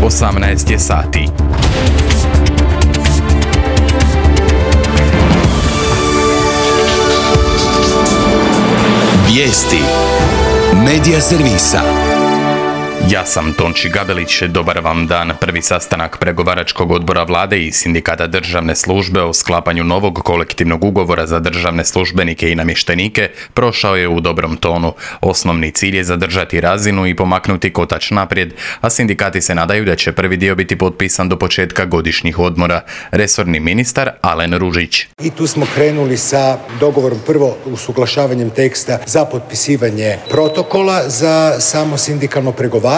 18 je sati. Vijesti Medija servisa. Ja sam Tonči Gabelić, dobar vam dan. Prvi sastanak pregovaračkog odbora vlade i sindikata državne službe o sklapanju novog kolektivnog ugovora za državne službenike i namještenike prošao je u dobrom tonu. Osnovni cilj je zadržati razinu i pomaknuti kotač naprijed, a sindikati se nadaju da će prvi dio biti potpisan do početka godišnjih odmora. Resorni ministar Alen Ružić. I tu smo krenuli sa dogovorom prvo usuglašavanjem teksta za potpisivanje protokola za samo sindikalno pregovaranje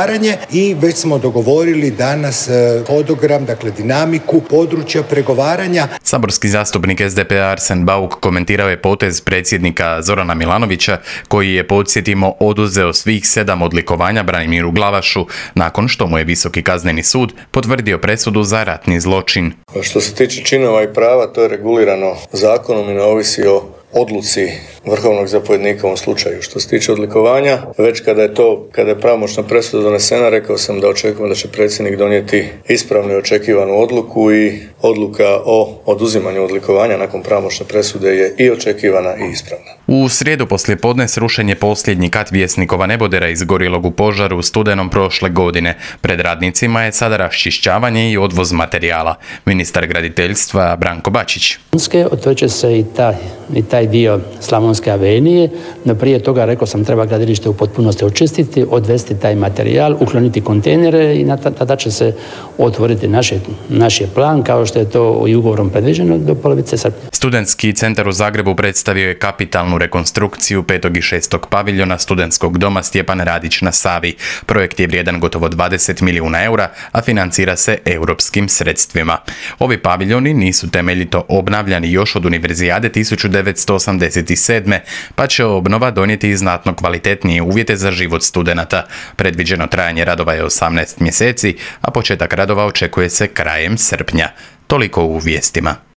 i već smo dogovorili danas hodogram, dakle dinamiku područja pregovaranja. Saborski zastupnik SDP-a Arsen Bauk komentirao je potez predsjednika Zorana Milanovića koji je, podsjetimo, oduzeo svih 7 odlikovanja Branimiru Glavašu nakon što mu je Visoki kazneni sud potvrdio presudu za ratni zločin. Što se tiče činova i prava, to je regulirano zakonom i ne ovisi o odluci vrhovnog zapovjednika u ovom slučaju. Što se tiče odlikovanja, već kada je pravomoćna presuda donesena, rekao sam da očekujemo da će predsjednik donijeti ispravnu i očekivanu odluku i odluka o oduzimanju odlikovanja nakon pravomoćne presude je i očekivana i ispravna. U srijedu poslijepodne srušen je posljednji kat Vjesnikova nebodera izgorjelog u požaru u studenom prošle godine. Pred radnicima je sada raščišćavanje i odvoz materijala. Ministar graditeljstva Branko Bačić. Otvorit će se i taj dio Slavonske avenije, no prije toga, rekao sam, treba gradilište u potpunosti očistiti, odvesti taj materijal, ukloniti kontejnere i tada će se otvoriti naš je plan, kao što je to i ugovorom predviđeno, do polovice srpnja. Studentski centar u Zagrebu predstavio je kapitalnu rekonstrukciju 5. i 6. paviljona studentskog doma Stjepan Radić na Savi. Projekt je vrijedan gotovo 20 milijuna eura, a financira se europskim sredstvima. Ovi paviljoni nisu temeljito obnavljani još od Univerzijade 1987. pa će obnova donijeti i znatno kvalitetnije uvjete za život studenata. Predviđeno trajanje radova je 18 mjeseci, a početak radova očekuje se krajem srpnja. Toliko u vijestima.